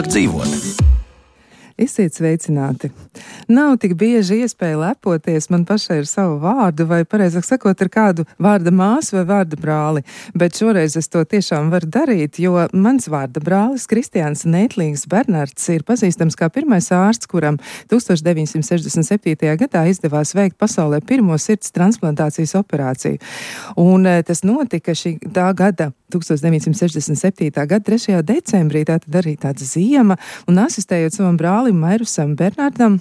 labāk dzīvot. Esiet sveicināti. Nav tik bieži iespēja lepoties man pašai ar savu vārdu, vai pareizāk sakot, ar kādu vārda māsu vai vārda brāli, bet šoreiz es to tiešām varu darīt, jo mans vārda brālis Kristiāns Neitlīgs Bernards ir pazīstams kā pirmais ārsts, kuram 1967. gadā izdevās veikt pasaulē pirmo sirds transplantācijas operāciju. Un tas notika tā gada 1967. gada 3. decembrī, tātad arī tāda ziema, un asistējot savam brālim Mairusam Bernardam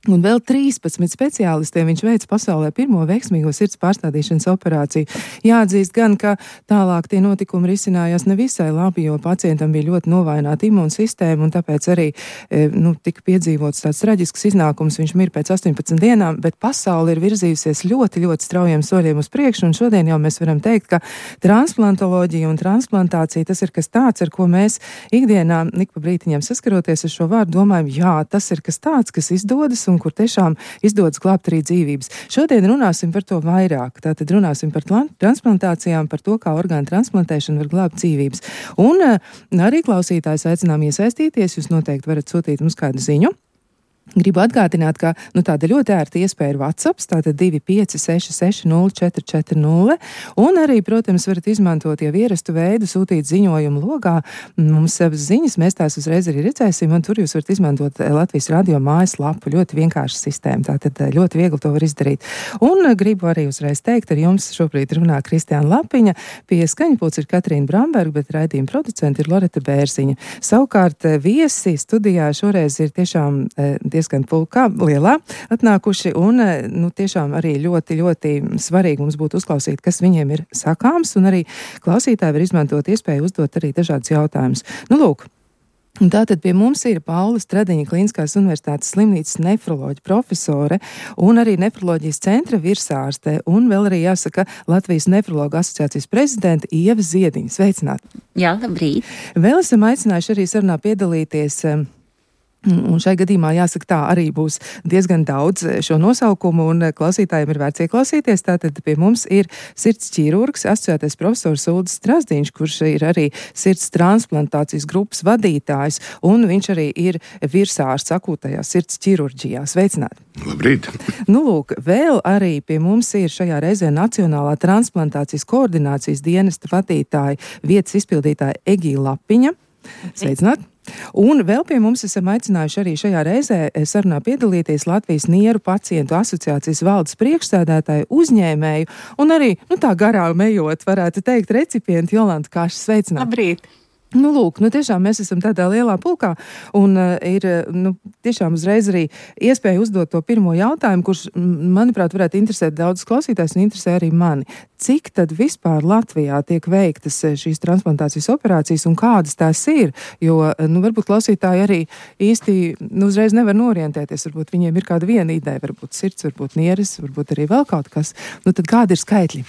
un vēl 13 speciālistiem viņš veica pasaulē pirmo veiksmīgo sirds pārstādīšanas operāciju. Jāatzīst gan, ka tālāk tie notikumi risinājās nevisai labi, jo pacientam bija ļoti novaināta imūnsistēma, un tāpēc arī tika piedzīvots tāds traģisks iznākums. Viņš mir pēc 18 dienām, bet pasaule ir virzījusies ļoti, ļoti straujiem soļiem uz priekšu, un šodien jau mēs varam teikt, ka transplantoloģija un transplantācija tas ir kas tāds, ar ko mēs ikdienā ik pa brītiņiem saskaroties ar šo vārdu domājam, jā, tas ir kas tāds, kas izdodas un kur tiešām izdodas glābt arī dzīvības. Šodien runāsim par to vairāk. Tātad runāsim par transplantācijām, par to, kā orgānu transplantēšana var glābt dzīvības. Un arī klausītājs aicinām iesaistīties. Jūs noteikti varat sūtīt mums kādu ziņu. Gribu atgādināt, ka tāda ļoti ērta iespēja ir WhatsApp, tātad 25660440, un arī, protams, varat izmantot jau ierastu veidu, sūtīt ziņojumu logā. Mums savas ziņas, mēs tās uzreiz arī redzēsim, un tur jūs varat izmantot Latvijas radio mājaslapu. Ļoti vienkārša sistēma, tātad ļoti viegli to var izdarīt. Un gribu arī uzreiz teikt, ar jums šobrīd runā Kristiāna Lapiņa, pie skaņpults ir Katrīna Bramberga, bet raidījuma producenti ir Loreta Bērziņa. Savukārt viesi studijā šoreiz ir tiešām diezgan pulkā, lielā atnākuši, un tiešām arī ļoti, ļoti svarīgi mums būtu uzklausīt, kas viņiem ir sakāms, un arī klausītāji var izmantot iespēju uzdot arī dažādus jautājumus. Lūk, un tātad pie mums ir Paula Stradiņa Kliniskās universitātes slimnīcas nefroloģa profesore un arī nefroloģijas centra virsārste, un vēl arī jāsaka Latvijas nefrologa asociācijas prezidenta Ieva Ziediņa. Sveicināti! Jā, labrīt! Vēl esam aicinājuši arī sarunā piedalīties. Un šai gadījumā jāsaka tā, arī būs diezgan daudz šo nosaukumu, un klausītājiem ir vērts ieklausīties. Tātad pie mums ir sirds ķirurgs, asociētais profesors Uldis Strazdiņš, kurš ir arī sirds transplantācijas grupas vadītājs, un viņš arī ir virsārsts akūtajā sirds ķirurģijā. Sveicināti! Labrīt! Lūk, vēl arī pie mums ir šajā reizē Nacionālā transplantācijas koordinācijas dienesta vadītāja, vietas izpildītāja Egīla Lapiņa. Sveicināti! Un vēl pie mums esam aicinājuši arī šajā reizē sarunā piedalīties Latvijas nieru pacientu asociācijas valdes priekšsēdētāju, uzņēmēju un arī, tā garām ejot, varētu teikt, recipientu Jolantu Kašu. Sveicināti! Labrīt! Lūk, tiešām mēs esam tādā lielā pulkā, un ir, tiešām uzreiz arī iespēja uzdot to pirmo jautājumu, kurš, manuprāt, varētu interesēt daudzus klausītājus un interesē arī mani. Cik tad vispār Latvijā tiek veiktas šīs transplantācijas operācijas un kādas tās ir? Jo, varbūt klausītāji arī īsti uzreiz nevar norientēties, varbūt viņiem ir kāda viena ideja, varbūt sirds, varbūt nieres, varbūt arī vēl kaut kas. Tad kādi ir skaitļi?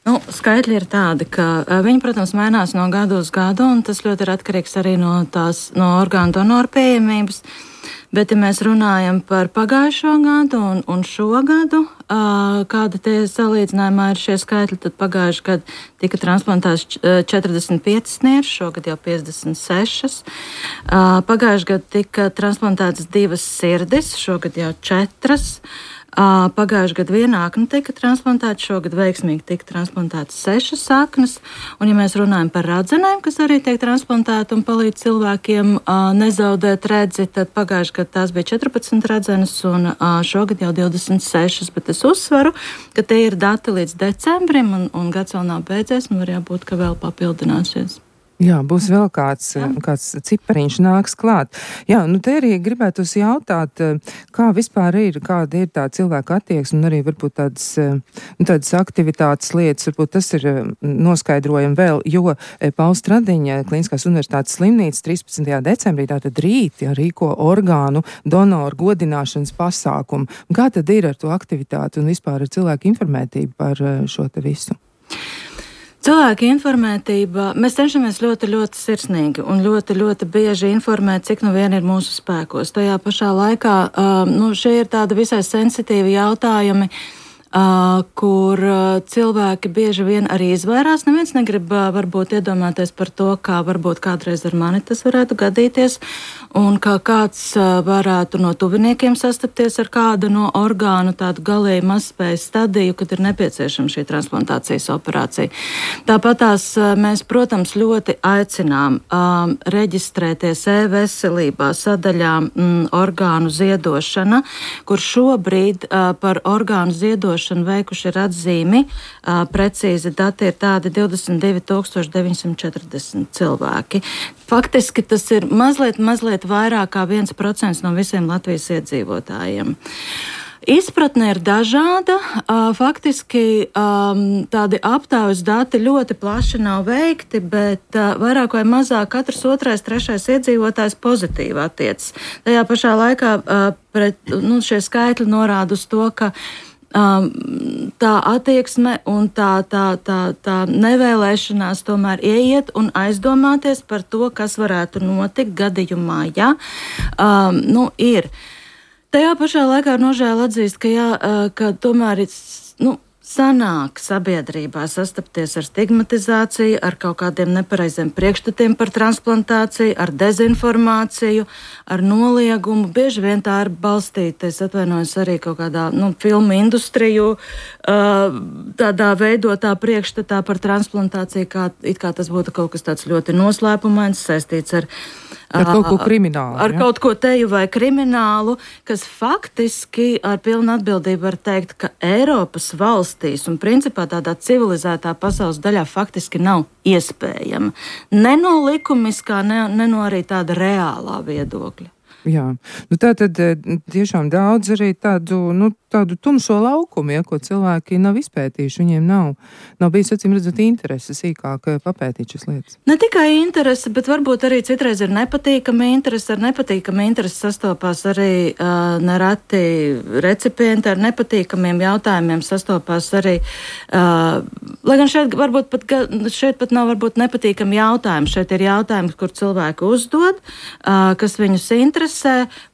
Skaitļi ir tādi, ka viņi, protams, mainās no gadu uz gadu, un tas ļoti ir atkarīgs arī no orgānu donoru pieejamības. Bet, ja mēs runājam par pagājušo gadu un šo gadu, kāda tie salīdzinājumā ir šie skaitļi, tad pagājušajā gadā tika transplantēts 45 nieres, šogad jau 56. Pagājušajā gadā tika transplantētas 2 sirdis, šogad jau 4. Pagājušajā gadā viena akna tika transplantēta, šogad veiksmīgi tika transplantētas 6 aknas, un ja mēs runājam par radzenēm, kas arī tiek transplantēta un palīdz cilvēkiem nezaudēt redzi, tad pagājušajā gadā tās bija 14 radzenes un šogad jau 26, bet es uzsveru, ka tie ir dati līdz decembrim un gads vēl nav beidzies un var jābūt, ka vēl papildināsies. Jā, būs vēl kāds cipariņš nāks klāt. Jā, te arī gribētu jautāt, kā vispār ir, kāda ir tā cilvēka attieksme un arī varbūt tādas aktivitātes lietas, varbūt tas ir noskaidrojami vēl, jo Paula Stradiņa Kliniskās universitātes slimnīcas 13. decembrī, tātad rīt, rīko orgānu donoru godināšanas pasākumu. Kā tad ir ar to aktivitāti un vispār ar cilvēku informētību par šo te visu? Cilvēka informētība, mēs cenšamies ļoti, ļoti sirsnīgi un ļoti, ļoti bieži informēt, cik vien ir mūsu spēkos. Tajā pašā laikā, šie ir tādi visai sensitīvi jautājumi, kur cilvēki bieži vien arī izvairās. Neviens negrib varbūt iedomāties par to, kā varbūt kādreiz ar mani tas varētu gadīties, un kā kāds varētu no tuviniekiem sastapties ar kādu no orgānu tādu galēji mazspējas stadiju, kad ir nepieciešama šī transplantācijas operācija. Tāpatās mēs, protams, ļoti aicinām reģistrēties e-veselībā sadaļā orgānu ziedošana, kur šobrīd par orgānu ziedošanu veikuši ir atzīmi. Precīzi dati ir tādi 22 940 cilvēki. Faktiski tas ir mazliet vairāk kā 1% no visiem Latvijas iedzīvotājiem. Izpratne ir dažāda. Faktiski tādi aptaujas dati ļoti plaši nav veikti, bet vairāk vai mazāk katrs otrais, trešais iedzīvotājs pozitīvi attiecas. Tajā pašā laikā šie skaitļi norāda uz to, ka tā attieksme un tā nevēlēšanās tomēr ieiet un aizdomāties par to, kas varētu notikt gadījumā, ja ir. Tajā pašā laikā ar nožēlu atzīst, ka tomēr sanāk sabiedrībā sastapties ar stigmatizāciju, ar kaut kādiem nepareiziem priekšstatiem par transplantāciju, ar dezinformāciju, ar noliegumu. Bieži vien tā ir balstīta, es atvainojos arī kaut kādā filmu industriju, tādā veidotā priekšstatā par transplantāciju, kā tas būtu kaut kas tāds ļoti noslēpumains, saistīts ar kaut ko kriminālu. Ar kaut ko teju vai kriminālu, kas faktiski ar pilnu atbildību var teikt, ka Eiropas valstīs un principā tādā civilizētā pasaules daļā faktiski nav iespējama. Ne no likumiskā, ne no arī tāda reālā viedokļa. Jā, tā tad tiešām daudz arī tādu tumšo laukumu, ko cilvēki nav izpētījuši. Viņiem nav bijis, acīm redzot, interese sīkāk papētīt šīs lietas. Ne tikai interese, bet varbūt arī citreiz ir nepatīkama interese. Ar nepatīkamu interesi sastopās arī nereti recipienti, ar nepatīkamiem jautājumiem sastopās arī, lai gan šeit pat nav varbūt nepatīkami jautājumi. Šeit ir jautājumi, kur cilvēki uzdod, kas viņus interesē.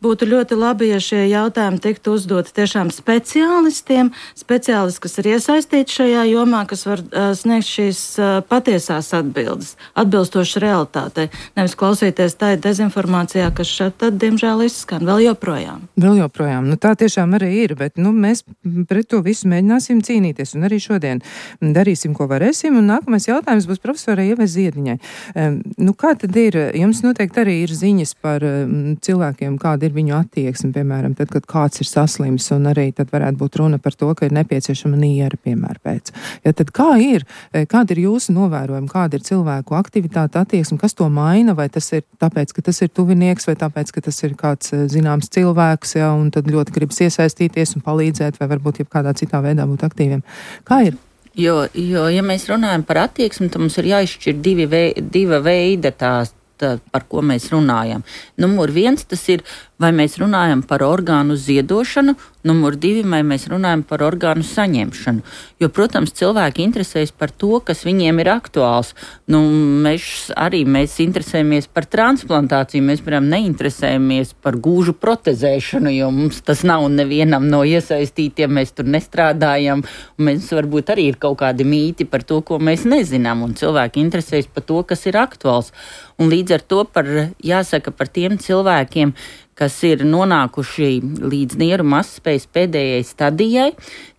Būtu ļoti labi, ja šie jautājumi tiktu uzdoti tiešām speciālistiem, kas ir iesaistīti šajā jomā, kas var sniegt šīs patiesās atbildes, atbilstoši realitātei. Nevis klausīties tā dezinformācijā, kas šeit tad, diemžēl, izskan vēl joprojām. Tā tiešām arī ir, bet mēs pret to visu mēģināsim cīnīties, un arī šodien darīsim, ko varēsim, un nākamais jautājums būs profesorai Ievai Ziediņai. Kā tad ir? Jums noteikti arī ir ziņas par cilvēkiem, kāda ir viņu attieksme, piemēram, tad, kad kāds ir saslims, un arī tad varētu būt runa par to, ka ir nepieciešama niera, piemēram, pēc. Ja tad kā ir? Kāda ir jūsu novērojuma? Kāda ir cilvēku aktivitāte, attieksme? Kas to maina? Vai tas ir tāpēc, ka tas ir tuvinieks, vai tāpēc, ka tas ir kāds zināms cilvēks, un tad ļoti gribas iesaistīties un palīdzēt, vai varbūt kādā citā veidā būt aktīviem? Kā ir? Jo, ja mēs runājam par attieksmi, tad mums ir jāizšķir diva veida par ko mēs runājam. Numur 1, tas ir, vai mēs runājam par orgānu ziedošanu, numur 2, vai mēs runājam par orgānu saņemšanu. Jo, protams, cilvēki interesējas par to, kas viņiem ir aktuāls. Mēs interesējamies par transplantāciju, mēs, piemēram, neinteresējamies par gūžu protezēšanu, jo mums tas nav nevienam no iesaistītiem, mēs tur nestrādājam, un mēs varbūt arī ir kaut kādi mīti par to, ko mēs nezinām, un cilvēki interesējas par to, kas ir aktuāls. Un līdz ar to jāsaka par tiem cilvēkiem, kas ir nonākuši līdz nieru mazspējas pēdējai stadijai,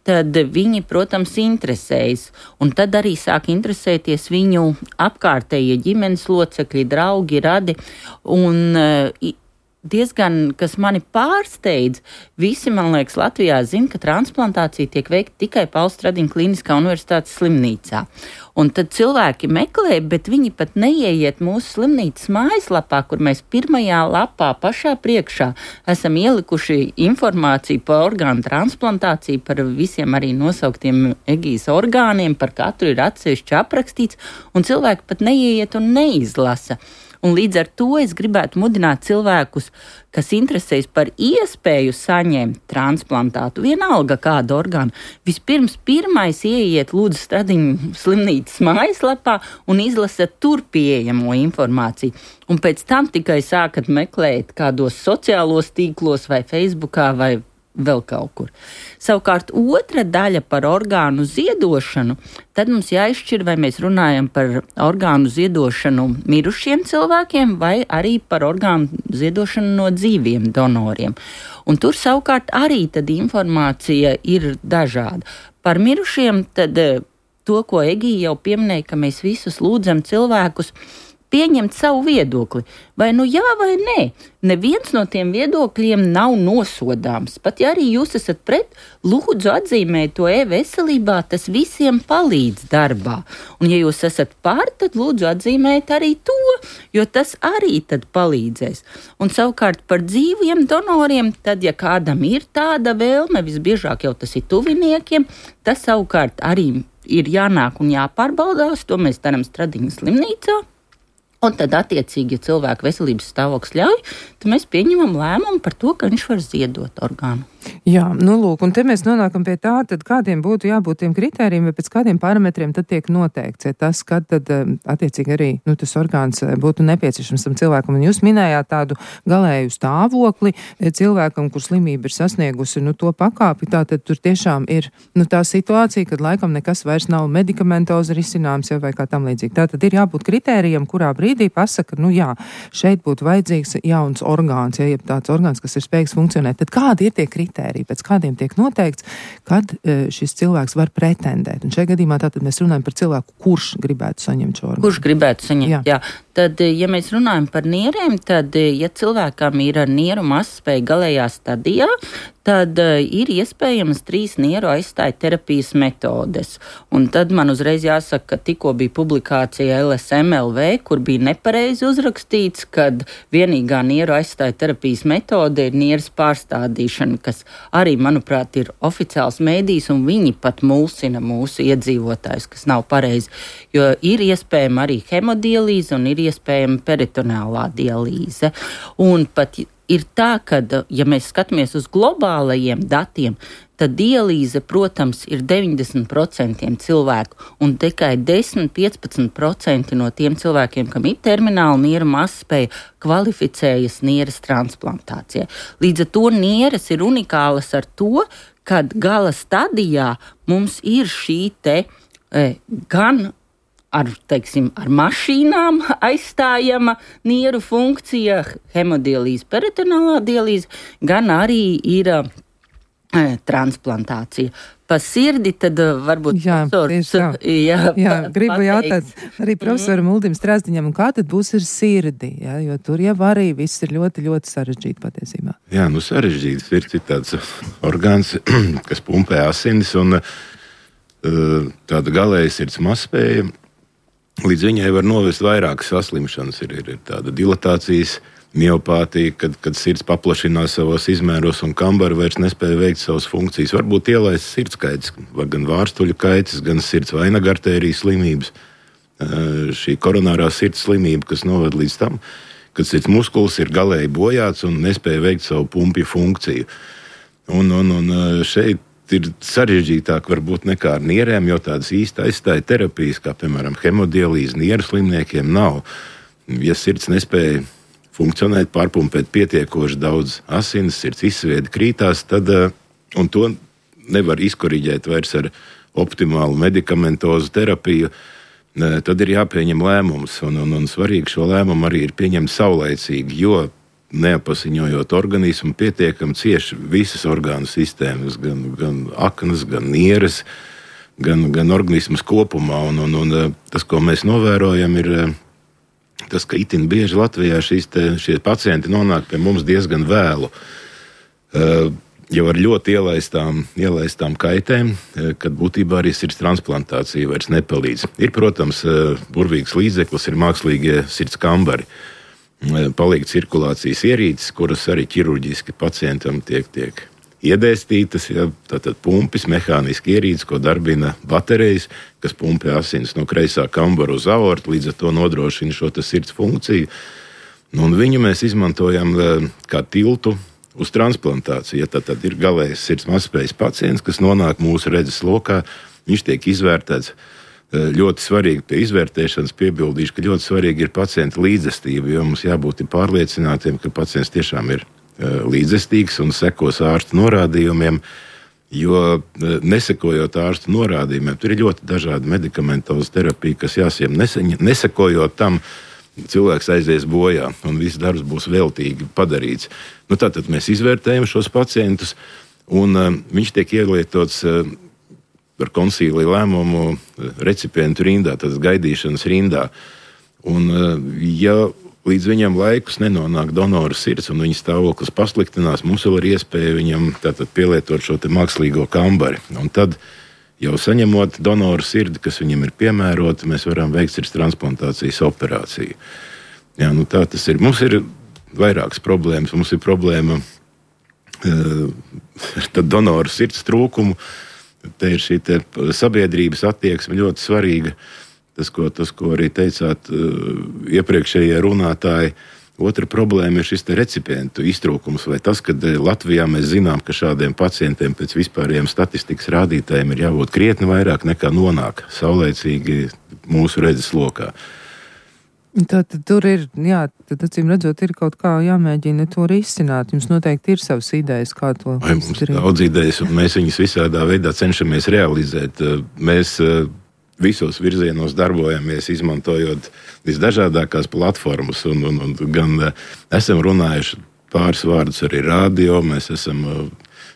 tad viņi, protams, interesējas. Un tad arī sāk interesēties viņu apkārtējie ģimenes locekļi, draugi, radi. Un diezgan, kas mani pārsteidz, visi, man liekas, Latvijā zina, ka transplantācija tiek veikta tikai Pauls Stradiņa Kliniskā universitātes slimnīcā. Un tad cilvēki meklē, bet viņi pat neieiet mūsu slimnīcas mājaslapā, kur mēs pirmajā lapā pašā priekšā esam ielikuši informāciju par orgānu transplantāciju, par visiem arī nosauktiem Egijas orgāniem, par katru ir atsevišķi aprakstīts, un cilvēki pat neieiet un neizlasa. Un līdz ar to es gribētu mudināt cilvēkus, kas interesējas par iespēju saņemt transplantātu, vienalga kādu orgānu. Vispirms pirmais ieiet lūdzu Stradiņa slimnīcas mājaslapā un izlasat tur pieejamo informāciju. Un pēc tam tikai sākat meklēt kādos sociālos tīklos vai Facebookā vai vēl kaut kur. Savukārt otra daļa par orgānu ziedošanu, tad mums jāizšķir, vai mēs runājam par orgānu ziedošanu mirušiem cilvēkiem vai arī par orgānu ziedošanu no dzīviem donoriem. Un tur savukārt arī tad informācija ir dažāda. Par mirušiem tad to, ko Egija jau pieminēja, ka mēs visus lūdzam cilvēkus pieņemt savu viedokli. Vai nu jā, vai nē. Neviens no tiem viedokļiem nav nosodāms. Pat ja arī jūs esat pret, lūdzu atzīmēt to e-veselībā, tas visiem palīdz darbā. Un ja jūs esat pār, tad lūdzu atzīmēt arī to, jo tas arī tad palīdzēs. Un savukārt par dzīviem donoriem, tad ja kādam ir tāda vēlme, visbiežāk jau tas ir tuviniekiem, tas savukārt arī ir jānāk un jāpārbaudās, to mēs darām Stradiņas slimnīcā. Un tad, attiecīgi, ja cilvēka veselības stāvoklis ļauj, tad mēs pieņemam lēmumu par to, ka viņš var ziedot orgānu. Jā, nu lūk, un te mēs nonākam pie tā, tad kādiem būtu jābūt tiem kritērijiem, vai pēc kādiem parametriem tad tiek noteikts, ja tas, kad tad attiecīgi arī tas orgāns būtu nepieciešams tam cilvēkam. Un jūs minējāt tādu galēju stāvokli cilvēkam, kur slimība ir sasniegusi to pakāpi, tātad tur tiešām ir tā situācija, kad laikam nekas vairs nav medikamentozi risināms, vai kā tam līdzīgi. Tātad ir jābūt kritērijiem, kurā brīdī pasaka, jā, šeit būtu vajadzīgs jauns orgāns, ja tāds orgāns, kas ir spējīgs funkcionēt. Tad kādi ir tie kritēriji, pēc kādiem tiek noteikts, kad šis cilvēks var pretendēt? Un šajā gadījumā tātad mēs runājam par cilvēku, kurš gribētu saņemt šo orgānu. Kurš gribētu saņemt, jā. Tad, ja mēs runājam par nierēm, tad, ja cilvēkam ir nieru mazspēja galējā stadijā, tad ir iespējamas 3 nieru aizstāja terapijas metodes. Un tad man uzreiz jāsaka, ka tikko bija publikācija LSMLV, kur bija nepareizi uzrakstīts, kad vienīgā nieru aizstāja terapijas metode ir nieras pārstādīšana, kas arī, manuprāt, ir oficiāls mēdījis, un viņi pat mulsina mūsu iedzīvotājus, kas nav pareizi. Jo ir iespējama arī hemodialīze un ir iespējama peritoneālā dialīze. Un pat ir tā, ka, ja mēs skatāmies uz globālajiem datiem, tad dialīze, protams, ir 90% cilvēku, un tikai 10–15% no tiem cilvēkiem, kam ir termināla nieru mazspēja, kvalificējas nieres transplantācijai. Līdz ar to nieres ir unikālas ar to, kad gala stadijā mums ir šī te gan ar mašīnām aizstājama nieru funkcija, hemodialīze, peritoneālā dialīze, gan arī ir transplantācija. Pa sirdi tad varbūt gribu jautāt arī profesoram Uldim Strazdiņam, kā tad būs ar sirdi, jo tur jau arī viss ir ļoti, ļoti sarežģīti patiesībā. Jā, sarežģīti. Sirds ir tāds orgāns, kas pumpē asinis, un tāda galēja sirds mazspēja. Līdz viņai var novest vairākas saslimšanas. Ir tāda dilatācijas miopātija, kad sirds paplašinās savos izmēros un kambara vairs nespēja veikt savas funkcijas. Varbūt ielaists sirdskaitis, gan vārstuļu kaitis, gan sirds vainagartērijas slimības. Šī koronārā sirds slimība, kas noved līdz tam, kad sirds muskulis ir galēji bojāts un nespēja veikt savu pumpju funkciju. Un šeit ir sarežģītāk varbūt nekā ar nierēm, jo tādas īsti aizstāja terapijas, kā piemēram hemodialīze nieru slimniekiem nav. Ja sirds nespēja funkcionēt, pārpumpēt pietiekoši daudz asinis, sirds izsviedi krītās, tad, un to nevar izkoriģēt vairs ar optimālu medikamentozu terapiju, tad ir jāpieņem lēmums. Un svarīgi šo lēmumu arī ir pieņemt saulaicīgi, jo neapasiņojot organismu, pietiekami cieši visas orgānu sistēmas, gan aknas, gan nieres, gan organismas kopumā. Un tas, ko mēs novērojam, ir tas, ka itin bieži Latvijā šie pacienti nonāk pie mums diezgan vēlu. Jau ar ļoti ielaistām kaitēm, kad būtībā arī sirds transplantācija vairs nepalīdz. Ir, protams, burvīgs līdzeklis, ir mākslīgie sirds kambari. Paliek cirkulācijas ierīces, kuras arī ķirurģiski pacientam tiek iedēstītas. Tātad pumpis, mehāniski ierīces, ko darbina baterijas, kas pumpē asinis no kreisā kambara uz aortu, līdz ar to nodrošina šo sirds funkciju. Un viņu mēs izmantojam kā tiltu uz transplantāciju. Ja tad ir galējs sirds mazspējas pacients, kas nonāk mūsu redzes lokā, viņš tiek izvērtēts. Ļoti svarīgi pie izvērtēšanas piebildīšu, ka ļoti svarīgi ir pacienta līdzestība, jo mums jābūt pārliecinātiem, ka pacients tiešām ir līdzestīgs un sekos ārsta norādījumiem. Jo nesekojot ārsta norādījumiem, tur ir ļoti dažādi medikamentoza terapija, kas jāsiem. Nesekojot tam, cilvēks aizies bojā un viss darbs būs veltīgi padarīts. Tātad mēs izvērtējam šos pacientus, un viņš tiek ielietots par konsīlija lēmumu recipientu rindā, tātad gaidīšanas rindā. Un, ja līdz viņam laikus nenonāk donora sirds un viņa stāvoklis pasliktinās, mums vēl ir iespēja viņam tātad pielietot šo te mākslīgo kambari. Un tad, jau saņemot donoru sirdi, kas viņam ir piemērota, mēs varam veikt sirds transplantācijas operāciju. Jā, tā tas ir. Mums ir vairākas problēmas. Mums ir problēma ar donoru sirds trūkumu. Te ir šī te sabiedrības attieksme ļoti svarīga. Tas, ko arī teicāt iepriekšējie runātāji. Otra problēma ir šis recipientu iztrūkums, vai tas, ka Latvijā mēs zinām, ka šādiem pacientiem pēc vispārējiem statistikas rādītājiem ir jābūt krietni vairāk nekā nonāk saulēcīgi mūsu redzes lokā. Tad tur ir, tad acīm redzot, ir kaut kā jāmēģina to risināt. Jums noteikti ir savas idejas, kā to izdarīt. Mums ir daudz idejas, un mēs viņas visādā veidā cenšamies realizēt. Mēs visos virzienos darbojamies, izmantojot visdažādākās platformas, un gan esam runājuši pāris vārdus arī radio, mēs esam,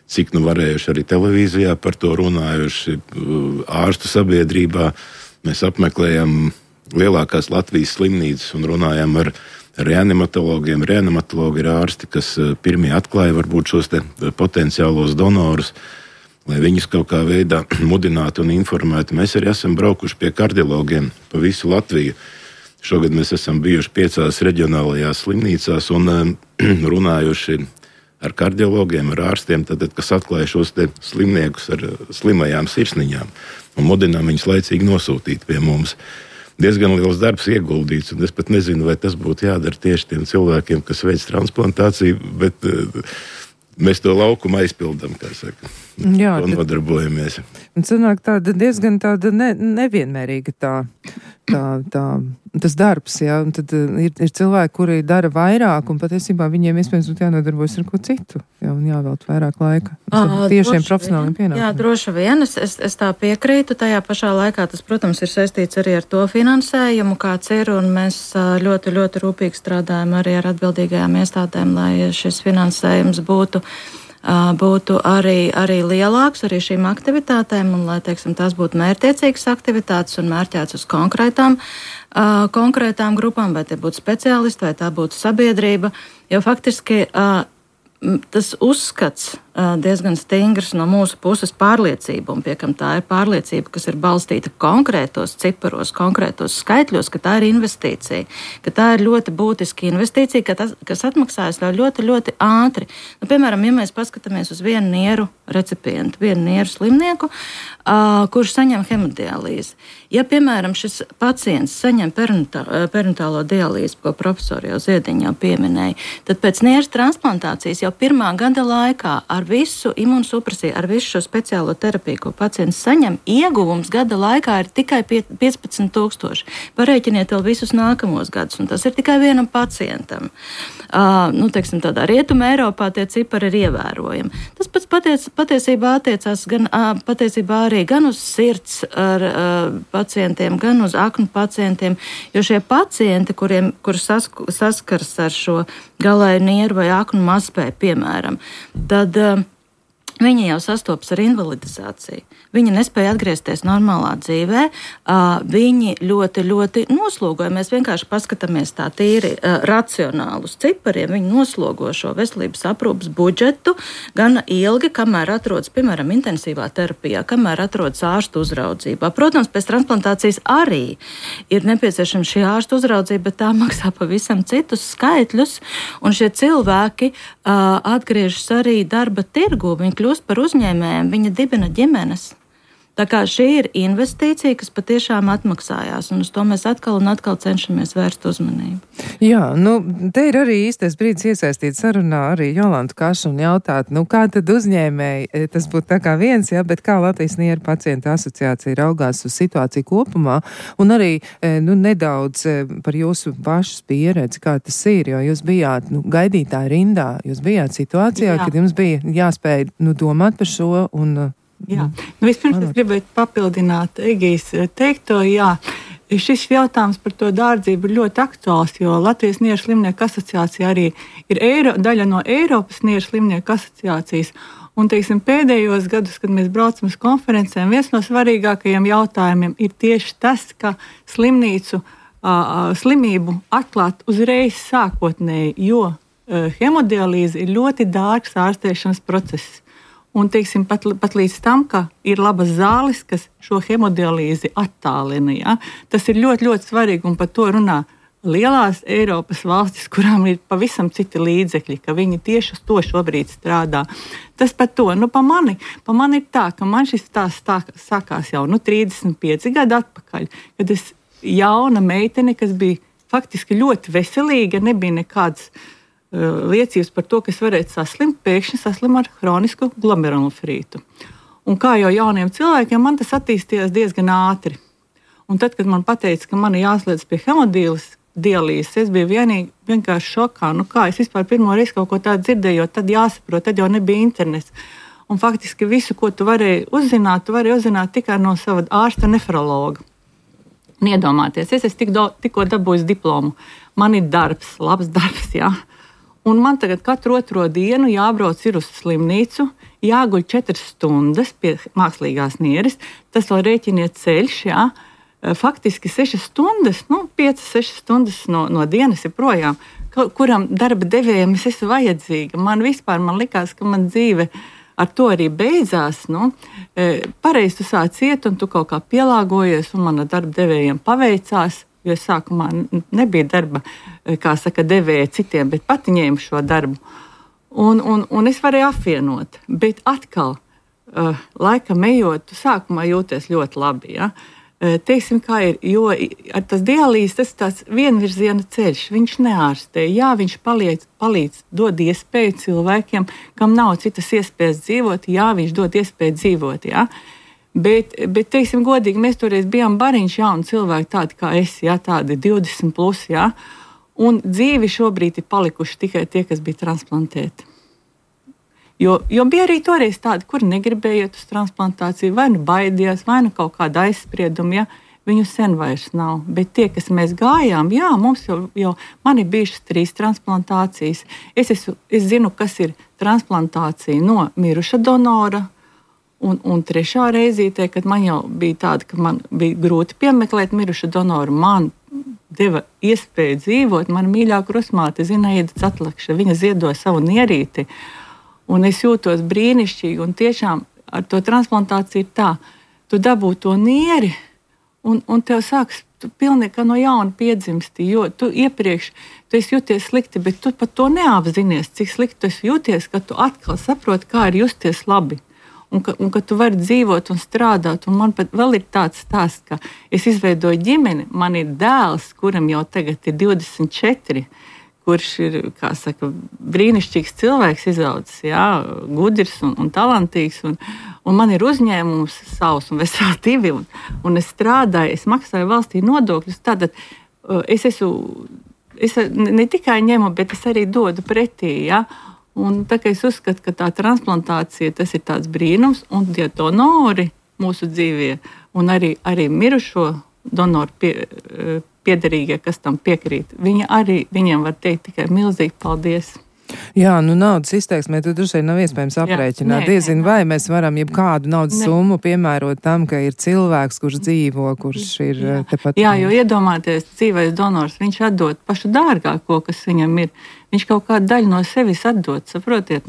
cik varējuši arī televīzijā par to runājuši, ārstu sabiedrībā. Mēs apmeklējam lielākās Latvijas slimnīcas un runājam ar reanimatologiem. Reanimatologi ir ārsti, kas pirmie atklāja varbūt šos te potenciālos donorus, lai viņus kaut kā veidā mudinātu un informētu. Mēs arī esam braukuši pie kardiologiem pa visu Latviju. Šogad mēs esam bijuši 5 reģionālajās slimnīcās un runājuši ar kardiologiem, ar ārstiem, kas atklāja šos te slimniekus ar slimajām sirsniņām un mudinām viņus laicīgi nosūtīt pie mums. Diezgan liels darbs ieguldīts, un es pat nezinu, vai tas būtu jādara tieši tiem cilvēkiem, kas veic transplantāciju, bet mēs to laukumu aizpildām, kā saka. Jā, un nodarbojamies. Un sanāk diezgan nevienmērīga tas darbs, jā. Un tad ir cilvēki, kuri dara vairāk, un patiesībā viņiem iespējams būtu jānodarbojas ar ko citu, jā, un jāvēlt vairāk laika. Tiešiem profesionāliem pienākumiem. Jā, droši vien, es tā piekrītu. Tajā pašā laikā tas, protams, ir saistīts arī ar to finansējumu, kāds ir, un mēs ļoti, ļoti rūpīgi strādājam arī ar atbildīgajām iestādēm, lai šis finansējums būtu arī lielāks arī šīm aktivitātēm, un lai, teiksim, tās būtu mērķtiecīgas aktivitātes un mērķēts uz konkrētām grupām, vai tie būtu speciālisti, vai tā būtu sabiedrība, jo faktiski tas uzskats diezgan stingrs no mūsu puses pārliecība, un piekam tā ir pārliecība, kas ir balstīta konkrētos ciparos, konkrētos skaitļos, ka tā ir investīcija, ka tā ir ļoti būtiska investīcija, kas atmaksājas ļoti, ļoti ātri. Piemēram, ja mēs paskatāmies uz vienu nieru recipientu, vienu nieru slimnieku, kurš saņem hemodialīzi. Ja, piemēram, šis pacients saņem perinatālo dialīzi, ko profesori jau Ziediņa jau pieminēja, tad pēc nieras transplantācijas jau 1. gada laikā ar visu imunsupresiju, ar visu šo speciālo terapiju, ko pacients saņem, ieguvums gada laikā ir tikai 15,000. Parēķiniet vēl visus nākamos gadus, un tas ir tikai vienam pacientam. Teiksim, tādā Rietuma Eiropā tie cipari ir ievērojami. Tas pats patiesībā attiecās gan uz sirds pacientiem, gan uz aknu pacientiem, jo šie pacienti, kuri saskars ar šo galēju nieru vai aknu mazspēju, piemēram, tad viņi jau sastopas ar invalidizāciju. Viņi nespēja atgriezties normālā dzīvē, viņi ļoti, ļoti noslogoja. Mēs vienkārši paskatāmies tā tīri racionāli uz cipariem. Viņi noslogo šo veselības aprūpas budžetu gan ilgi, kamēr atrodas, piemēram, intensīvā terapijā, kamēr atrodas ārstu uzraudzībā. Protams, pēc transplantācijas arī ir nepieciešama šī ārstu uzraudzība, bet tā maksā pavisam citus skaitļus, un šie cilvēki atgriežas arī darba tirgu, viņi kļūst par uzņēmējiem, viņi dibina ģimenes. Tā kā šī ir investīcija, kas patiešām atmaksājās, un uz to mēs atkal un atkal cenšamies vērst uzmanību. Jā, te ir arī īstais brīdis iesaistīt sarunā arī Jolantu Kašu un jautāt, kā tad uzņēmēji, tas būtu tā kā viens, bet kā Latvijas Nieru pacientu asociācija raugās uz situāciju kopumā, un arī nedaudz par jūsu pašas pieredzi, kā tas ir, jo jūs bijāt gaidītāji rindā, jūs bijāt situācijā, kad jums bija jāspēj domāt par šo un... Jā, vispirms es gribētu papildināt Egijas teikto, šis jautājums par to dārdzību ir ļoti aktuāls, jo Latvijas Nieru slimnieku asociācija arī ir daļa no Eiropas Nieru slimnieku asociācijas. Un, pēdējos gadus, kad mēs braucam uz konferencēm, viens no svarīgākajiem jautājumiem ir tieši tas, ka slimību atklāt uzreiz sākotnēji, jo hemodialīze ir ļoti dārgs ārstēšanas process. Un, pat līdz tam, ka ir labas zāles, kas šo hemodialīzi attālina. Ja? Tas ir ļoti, ļoti svarīgi, un par to runā lielās Eiropas valstis, kurām ir pavisam citi līdzekļi, ka viņi tieši uz to šobrīd strādā. Tas par to. Pa mani ir tā, ka man šis stāsts sākās jau 35 gadu atpakaļ, kad es jauna meitene, kas bija faktiski ļoti veselīga, nebija nekāds liecības par to, ka es varētu saslimt, pēkšņi saslimu ar hronisku glomerulonefrītu. Un kā jau jauniem cilvēkiem, man tas attīstījās diezgan ātri. Un tad, kad man pateica, ka man jāsliedz pie hemodialīzes, es biju vienkārši šokā. Kā es vispār pirmo reizi kaut ko tādu dzirdēju, jo tad jāsaprot, tad jau nebija internets. Un faktiski visu, ko tu varēji uzzināt tikai no sava ārsta nefrologa. Un iedomāties, es tikko dabūju diplomu. Man ir darbs, labs darbs, jā. Un man tagad katru otro dienu jābrauc ir uz slimnīcu, jāguļ 4 stundas pie mākslīgās nieres. Tas vēl rēķiniet ceļš, jā. Faktiski 6 stundas, 5-6 stundas no dienas ir projām, kuram darba devējiem es esmu vajadzīga. Man likās, ka man dzīve ar to arī beidzās. Pareizi tu sāc iet un tu kaut kā pielāgojies, un man ar darba devējiem paveicās. Jo sākumā nebija darba, devēja citiem, bet pati ņēma šo darbu. Un es varēju apvienot. Bet atkal, laikam ejot, tu sākumā jūties ļoti labi. Ja? Kā ir, jo ar tas dialīzes, tas ir tāds vienvirziena ceļš. Viņš neārstē. Jā, viņš palīdz, dod iespēju cilvēkiem, kam nav citas iespējas dzīvot. Jā, viņš dod iespēju dzīvot. Ja? Bet godīgi, mēs toreiz bijām bariņš jauni cilvēki, tādi kā es, tādi 20 plus, un dzīvi šobrīd ir palikuši tikai tie, kas bija transplantēti. Jo bija arī toreiz tādi, kuri negribēja iet uz transplantāciju, vai baidījās, vai kaut kāda aizsprieduma, viņu sen vairs nav. Bet tie, kas mēs gājām, mums jau man ir bijušas 3 transplantācijas. Es zinu, kas ir transplantācija no miruša donora. Un trešā reizītē, kad man jau bija tāda, ka man bija grūti piemeklēt mirušu donoru, man deva iespēju dzīvot. Mana mīļā krustmāte Zinaida Catlakša, viņa ziedoja savu nierīti. Un es jūtos brīnišķīgi, un tiešām ar to transplantāciju ir tā, tu dabū to nieri, un tev sāks pilnīgi no jauna piedzimsti, jo tu iepriekš tu esi jūties slikti, bet tu pat to neapzinies, cik slikti tu esi jūties, ka tu atkal saproti, kā ir justies labi. Un ka tu vari dzīvot un strādāt. Un man pat vēl ir tāds stāsts, ka es izveidoju ģimeni. Man ir dēls, kuram jau tagad ir 24, kurš ir, brīnišķīgs cilvēks izaudzis, gudrs un talantīgs. Un man ir uzņēmums savs un veseli 2. Un es strādāju, es maksāju valstī nodokļus. Tātad es ne tikai ņemu, bet es arī dodu pretī, Un tā kā es uzskatu, ka tā transplantācija tas ir tāds brīnums, un tie donori mūsu dzīvē, un arī mirušo donoru piederīgie, kas tam piekrīt, viņiem var teikt tikai milzīgi paldies. Jā, naudas izteiksmē tu droši vien nav iespējams aprēķināt. Diezin, vai mēs varam jebkādu naudas summu piemērot tam, ka ir cilvēks, kurš dzīvo, kurš ir tepat. Jā, jo iedomāties, dzīvais donors, viņš atdod pašu dārgāko, kas viņam ir. Viņš kaut kādu daļu no sevis atdod, saprotiet,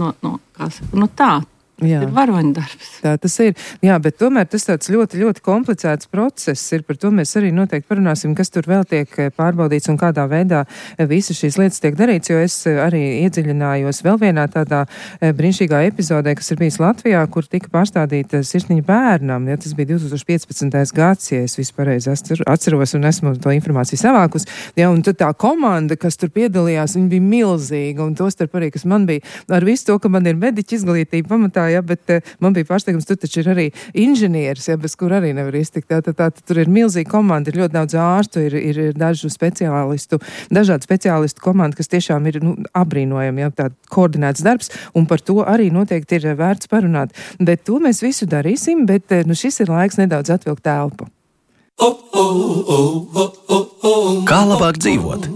tā. Ir varoņdarbs. Tā tas ir. Jā, bet tomēr tas tāds ļoti, ļoti komplicēts process ir. Par to mēs arī noteikti parunāsim, kas tur vēl tiek pārbaudīts un kādā veidā visas šīs lietas tiek darīts, jo es arī iedziļinājos vēl vienā tādā brīnišķīgā epizodē, kas ir bijis Latvijā, kur tika pārstādīta sirsniņa bērnam. Ja, tas bija 2015. gads, ja es vispareizi atceros un esmu to informāciju savākus. Ja, un tad tā komanda, kas tur piedalījās, viņa bija milzīga, un tostarp arī, kas man bija ar visu to, ka man ir mediķa izglītība pamatā, ja, bet man bija pārsteigums, tur taču ir arī inženieris, ja, bez kur arī nevar iztikt. Tā, tur ir milzīga komanda, ir ļoti daudz ārstu, ir dažu speciālistu, dažādu speciālistu komanda, kas tiešām ir abrīnojami, ja, tā koordinēts darbs, un par to arī noteikti ir vērts parunāt. Bet to mēs visu darīsim, bet šis ir laiks nedaudz atvilkt telpu. Kā labāk dzīvot?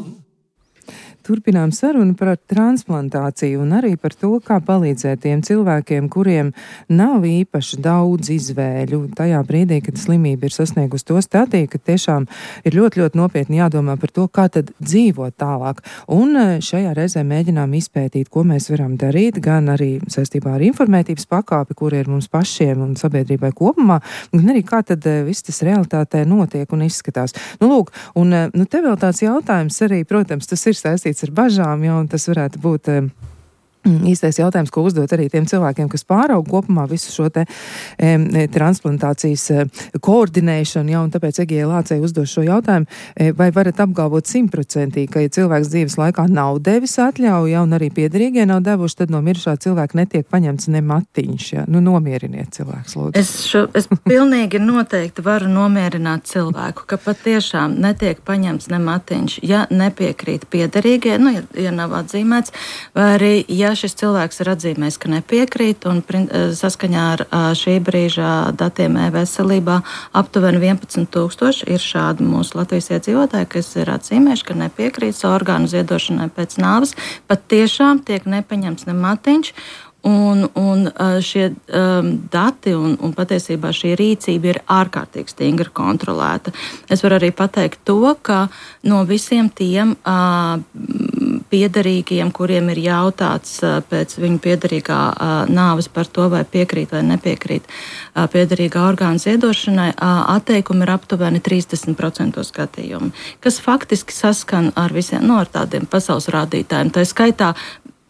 Turpinām sarunu par transplantāciju un arī par to, kā palīdzēt tiem cilvēkiem, kuriem nav īpaši daudz izvēļu tajā brīdī, kad slimība ir sasniegusi to stadiju, ka tiešām ir ļoti, ļoti nopietni jādomā par to, kā tad dzīvot tālāk. Un šajā reizē mēģinām izpētīt, ko mēs varam darīt, gan arī saistībā ar informētības pakāpi, kur ir mums pašiem un sabiedrībai kopumā, gan arī kā tad viss tas realitātē notiek un izskatās. Lūk, un te vēl tāds jautājums arī, protams, tas ir saistīts ar bažām, un tas varētu būt īstais jautājums, ko uzdot arī tiem cilvēkiem, kas pārauga kopumā visu šo te transplantācijas koordinēšanu, un tāpēc Egijai Lācei uzdos šo jautājumu, vai varat apgalvot 100%, ka ja cilvēks dzīves laikā nav devis atļauju, un arī piederīgie nav devuši, tad no mirušā cilvēka netiek paņemts ne matiņš, ja? Nomieriniet cilvēks, lūdzu. Es pilnīgi noteikti varu nomierināt cilvēku, ka patiešām netiek paņemts ne matiņš, ja nepiekrīt piederīgie, ja nav atzīmēts, vai arī, ja šis cilvēks ir atzīmējis, ka nepiekrīt, un saskaņā ar šī brīža datiem e-veselībā aptuveni 11,000 ir šādi mūsu Latvijas iedzīvotāji, kas ir atzīmējuši, ka nepiekrīt orgānu ziedošanai pēc nāves, pat tiešām tiek nepaņemts ne matiņš. Un šie dati un patiesībā šī rīcība ir ārkārtīgi stingri kontrolēta. Es varu arī pateikt to, ka no visiem tiem piederīgiem, kuriem ir jautāts pēc viņu piederīgā nāves par to, vai piekrīt vai nepiekrīt piederīgā orgāna ziedošanai, atteikumi ir aptuveni 30% gadījumu, kas faktiski saskan ar visiem ar tādiem pasaules rādītājiem. Tā skaitā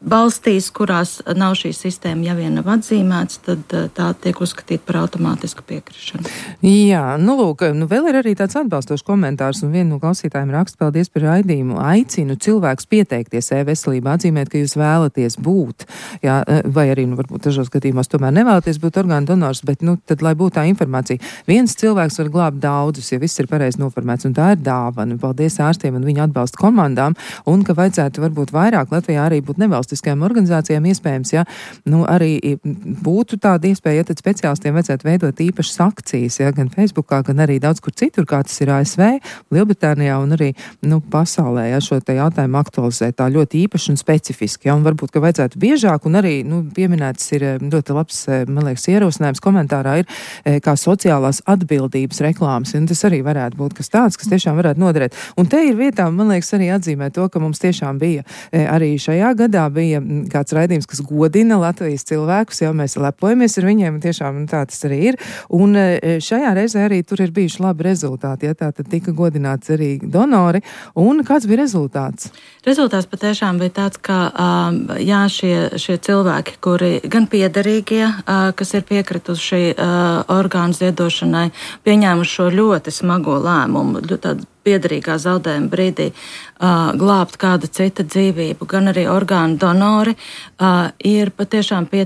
valstīs, kurās nav šī sistēma, ja vien nav atzīmēts, tad tā tiek uzskatīta par automātisku piekrišanu. Jā, lūk, vēl ir arī tāds atbalstošs komentārs, un viena no klausītājiem raksta, paldies par raidījumu. Aicinu cilvēkus pieteikties e-veselībā, atzīmēt, ka jūs vēlaties būt, jā, vai arī, varbūt dažos gadījumos tomēr nevēlaties būt orgānu donors, bet, tad, lai būtu tā informācija. Viens cilvēks var glābt daudzus, ja viss ir pareizi noformēts, un tā ir dāvana. Paldies ārstiem un viņu atbalsta komandām, un ka vajadzētu varbūt vairāk Latvijā arī būt nevalstiskajām organizācijām iespējams, ja, arī būtu tāda iespēja, ja tad speciālistiem vajadzētu veidot īpašas akcijas, ja, gan Facebookā, gan arī daudz kur citur, kā tas ir ASV, Lielbritānijā un arī, pasaulē, ja, šo te jautājumu aktualizēt tā ļoti īpaši un specifiski, ja, un varbūt, ka vajadzētu biežāk, un arī, pieminēts ir ļoti labs, man liekas, ierosinājums komentārā ir, kā sociālās atbildības reklāmas, un tas arī varētu būt kas tāds, kas tiešām varētu noderēt. Un te ir vietā, man liekas, arī atzīmēt to, ka mums tiešām bija arī šajā gadā bija kāds raidījums, kas godina Latvijas cilvēkus, jau mēs lepojamies ar viņiem, un tiešām tā tas arī ir. Un šajā reizē arī tur ir bijuši labi rezultāti, ja tā tad tika godināts arī donori. Un kāds bija rezultāts? Rezultāts patiešām bija tāds, ka šie cilvēki, kuri gan piederīgie, kas ir piekrituši orgānu ziedošanai, pieņēmuši šo ļoti smago lēmumu, tādu piederīgā zaudējuma brīdī glābt kāda cita dzīvību, gan arī orgānu donori ir patiešām bija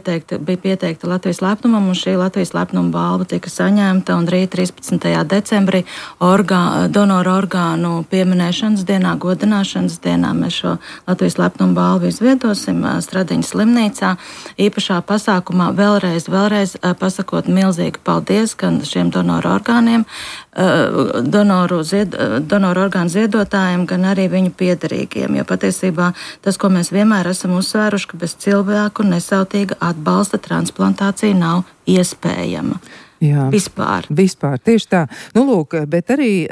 pieteikta Latvijas lepnumam, un šī Latvijas lepnuma balva tika saņemta, un rīt 13. decembrī donoru orgānu pieminēšanas dienā, godināšanas dienā mēs šo Latvijas lepnuma balvu izviedosim Stradiņas slimnīcā. Īpašā pasākumā vēlreiz pasakot milzīgu paldies gan šiem donoru orgāniem, donoru orgānu ziedotājiem, gan arī viņu piederīgiem, jo patiesībā tas, ko mēs vienmēr esam uzsvēruši, ka bez cilvēku nesautīga atbalsta transplantācija nav iespējama. Jā. Vispār, tieši tā. Nu, lūk, bet arī,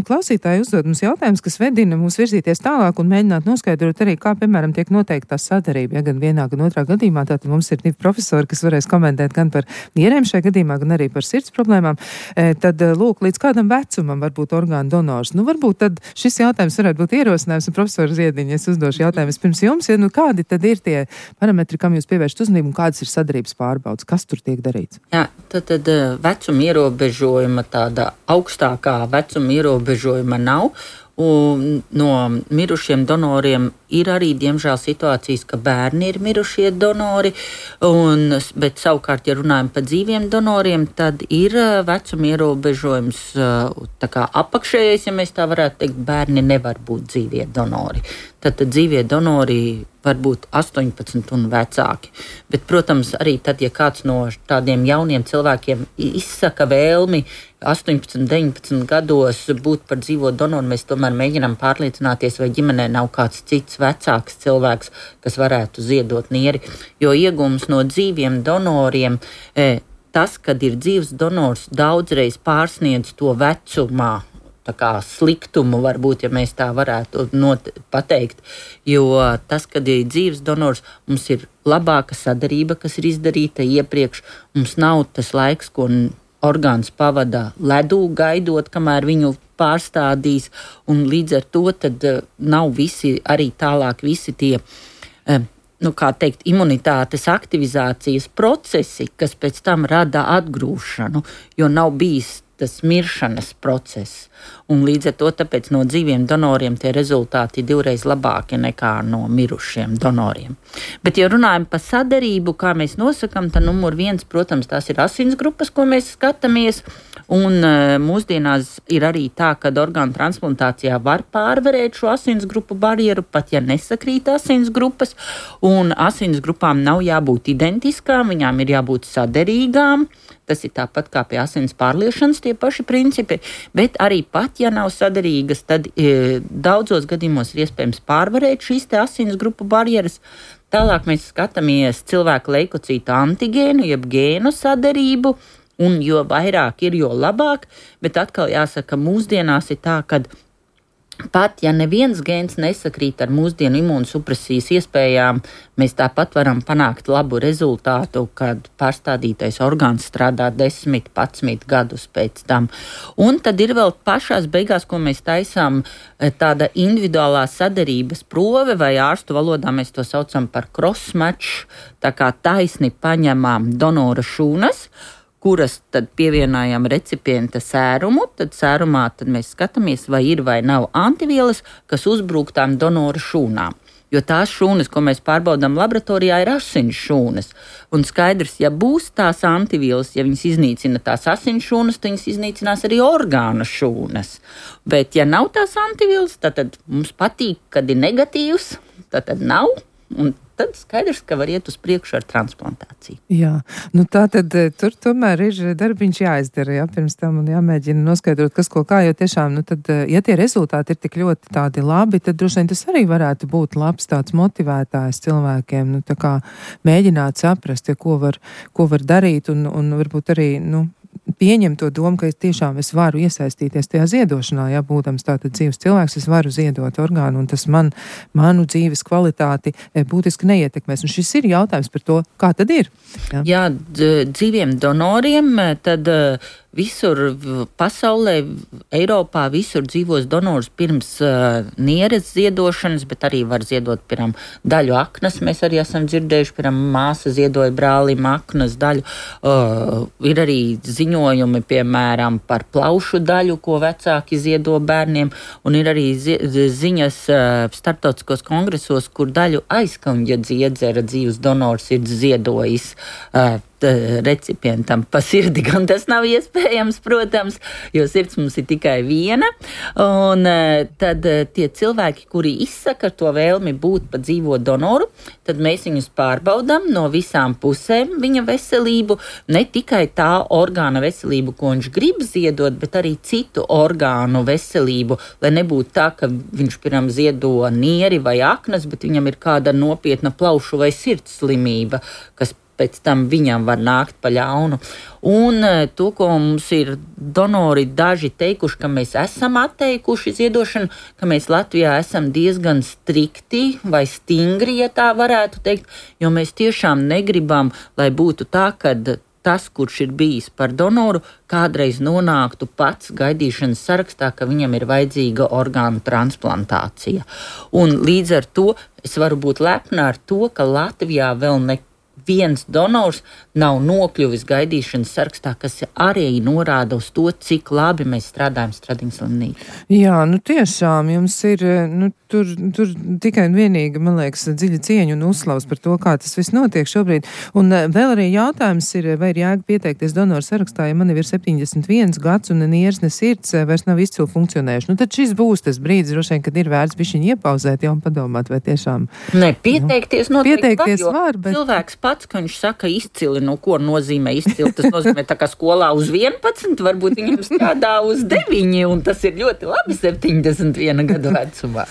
klausītāji uzdod mums jautājums, kas vedina mūs virzīties tālāk un mēģināt noskaidrot arī, kā, piemēram, tiek noteikta tā sadarība, gan vienā, gan otrā gadījumā. Tātad mums ir 2 profesori, kas varēs komentēt gan par nierēm šajā gadījumā, gan arī par sirds problēmām. Tad, lūk, līdz kādam vecumam var būt orgānu donors. Nu, varbūt tad šis jautājums varētu būt ierosinājums, un profesori Ziediņa, es uzdošu jautājumus pirms jums, ja, kādi tad ir tie parametri, kam jūs pievēršat uzmanību, un kādas ir sadarības pārbaudas, kas tur tiek darīts? Jā, tad vecuma ierobežojuma, tāda augstākā vecuma ierobežojuma nav. Un no mirušiem donoriem ir arī, diemžēl, situācijas, ka bērni ir mirušie donori, bet savukārt, ja runājam par dzīviem donoriem, tad ir vecuma ierobežojums tā kā apakšējais, ja mēs tā varētu teikt, bērni nevar būt dzīvie donori. Tad dzīvie donori var būt 18 un vecāki. Bet, protams, arī tad, ja kāds no tādiem jauniem cilvēkiem izsaka vēlmi 18, 19 gados būt par dzīvo donoru, mēs tomēr mēģinām pārliecināties, vai ģimenē nav kāds cits vecāks cilvēks, kas varētu ziedot nieri. Jo iegūms no dzīviem donoriem, tas, kad ir dzīvs donors, daudzreiz pārsniedz to vecumā. Tā kā sliktumu varbūt, ja mēs tā varētu pateikt, jo tas, kad ir dzīves donors, mums ir labāka sadarība, kas ir izdarīta iepriekš, mums nav tas laiks, ko orgāns pavada ledū gaidot, kamēr viņu pārstādīs, un līdz ar to tad nav arī tālāk visi tie, imunitātes aktivizācijas procesi, kas pēc tam rada atgrūšanu, jo nav bijis tas miršanas process. Un līdz ar to tāpēc no dzīviem donoriem tie rezultāti ir 2 reizes labāki nekā no mirušiem donoriem. Bet, ja runājam par sadarību, kā mēs nosakam, tad numur 1, protams, tās ir asinsgrupas, ko mēs skatāmies. Un mūsdienās ir arī tā, ka orgānu transplantācijā var pārvarēt šo asinsgrupu barjeru, pat ja nesakrīt asinsgrupas. Un asinsgrupām nav jābūt identiskām, viņām ir jābūt saderīgām. Tas ir tāpat kā pie asins pārliešanas tie paši principi, bet arī pat, ja nav saderīgas, tad daudzos gadījumos ir iespējams pārvarēt šīs te asins grupu barjeras. Tālāk mēs skatāmies cilvēku leikocītu antigēnu, jeb gēnu saderību, un jo vairāk ir, jo labāk, bet atkal jāsaka, mūsdienās ir tā, ka pat, ja neviens gēns nesakrīt ar mūsdienu imūnsupresijas iespējām, mēs tāpat varam panākt labu rezultātu, kad pārstādītais orgāns strādā 10, 11 gadus pēc tam. Un tad ir vēl pašās beigās, ko mēs taisām, tāda individuālā saderības prove, vai ārstu valodā mēs to saucam par cross-match, tā kā taisni paņemām donora šūnas, kuras tad pievienojam recipienta sērumu, tad sērumā tad mēs skatāmies, vai ir vai nav antivielas, kas uzbrūk tām donora šūnām. Jo tās šūnas, ko mēs pārbaudām laboratorijā, ir asins šūnas. Un skaidrs, ja būs tās antivielas, ja viņas iznīcina tās asins šūnas, tad viņas iznīcinās arī orgānu šūnas. Bet ja nav tās antivielas, tad mums patīk, kad ir negatīvs, tad nav. Un tad skaidrs, ka var iet uz priekšu ar transplantāciju. Jā, tā tad tur tomēr ir darbiņš jāizdara, jā, pirms tam un jāmēģina noskaidrot, kas ko kā, jo tiešām, tad, ja tie rezultāti ir tik ļoti tādi labi, tad droši vien tas arī varētu būt labs tāds motivētājs cilvēkiem, tā kā mēģināt saprast, ja, ko var darīt un varbūt arī, pieņem to domu, ka tiešām es varu iesaistīties tajā ziedošanā, ja būdams tātad dzīves cilvēks, es varu ziedot orgānu, un tas manu dzīves kvalitāti būtiski neietekmēs. Un šis ir jautājums par to, kā tad ir. Jā, dzīviem donoriem tad visur pasaulē, Eiropā, visur dzīvos donors pirms nieres ziedošanas, bet arī var ziedot, piemēram, daļu aknas. Mēs arī esam dzirdējuši, piemēram, māsa ziedoja brālim aknas daļu. Ir arī ziņojumi, piemēram, par plaušu daļu, ko vecāki ziedo bērniem, un ir arī ziņas starptautiskos kongresos, kur daļu aizkaņa dziedzera dzīves donors ir ziedojis recipientam pa sirdi, gan tas nav iespējams, protams, jo sirds mums ir tikai viena. Un tad tie cilvēki, kuri izsaka to vēlmi būt pa dzīvo donoru, tad mēs viņus pārbaudām no visām pusēm viņa veselību, ne tikai tā orgāna veselību, ko viņš grib ziedot, bet arī citu orgānu veselību, lai nebūtu tā, ka viņš, piemēram, ziedo nieri vai aknas, bet viņam ir kāda nopietna plaušu vai sirds slimība, kas pēc tam viņam var nākt pa ļaunu. Un to, ko mums ir donori daži teikuši, ka mēs esam atteikuši ziedošanu, ka mēs Latvijā esam diezgan strikti vai stingri, ja tā varētu teikt, jo mēs tiešām negribam, lai būtu tā, kad tas, kurš ir bijis par donoru, kādreiz nonāktu pats gaidīšanas sarakstā, ka viņam ir vajadzīga orgānu transplantācija. Un līdz ar to es varu būt lepna ar to, ka Latvijā vēl neviens donors nav nokļuvis gaidīšanas sarakstā, kas arī norāda uz to, cik labi mēs strādājam Stradiņas slimnīcā. Jā, tiešām jums ir, tur tikai un vienīgi, man liekas, dziļa cieņa un uzslavs par to, kā tas viss notiek šobrīd. Un vēl arī jautājums ir, vai ir jēga pieteikties donoru sarakstā, ja man jau ir 71 gads un ne nieres, ne sirds vairs nav izcili funkcionējuši. Tad šis būs tas brīdis, droši vien, kad ir vērts bišķiņi iepauzēt, jau un padomāt, vai tiešām... Pieteikties noteikti var, bet... Cilvēks pats, ka viņš saka izcili, ko nozīmē izcili, tas nozīmē tā kā skolā uz 11, varbūt viņam strādā uz 9, un tas ir ļoti labi 71 gadu vecumā.